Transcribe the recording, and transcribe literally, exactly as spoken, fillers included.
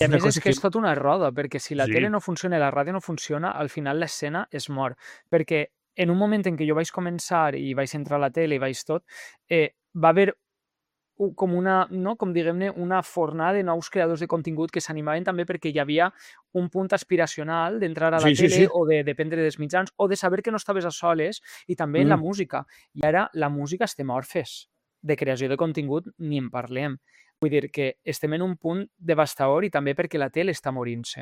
I a una més és cosa que que... és tot una roda, perquè si la Sí. tele no funciona i la ràdio no funciona, al final l'escena es mor. Perquè en un moment en què jo vaig començar i vaig entrar a la tele i vaig tot, eh, va haver u- com una, no? Com diguem-ne, una fornada de nous creadors de contingut que s'animaven també perquè hi havia un punt aspiracional d'entrar a la Sí, sí, tele sí. o de dependre dels mitjans o de saber que no estaves a soles i també en la Mm. música. I ara la música estem orfes de creació de contingut, ni en parlem. Vull dir que estem en un punt devastador i també perquè la tele està morint-se.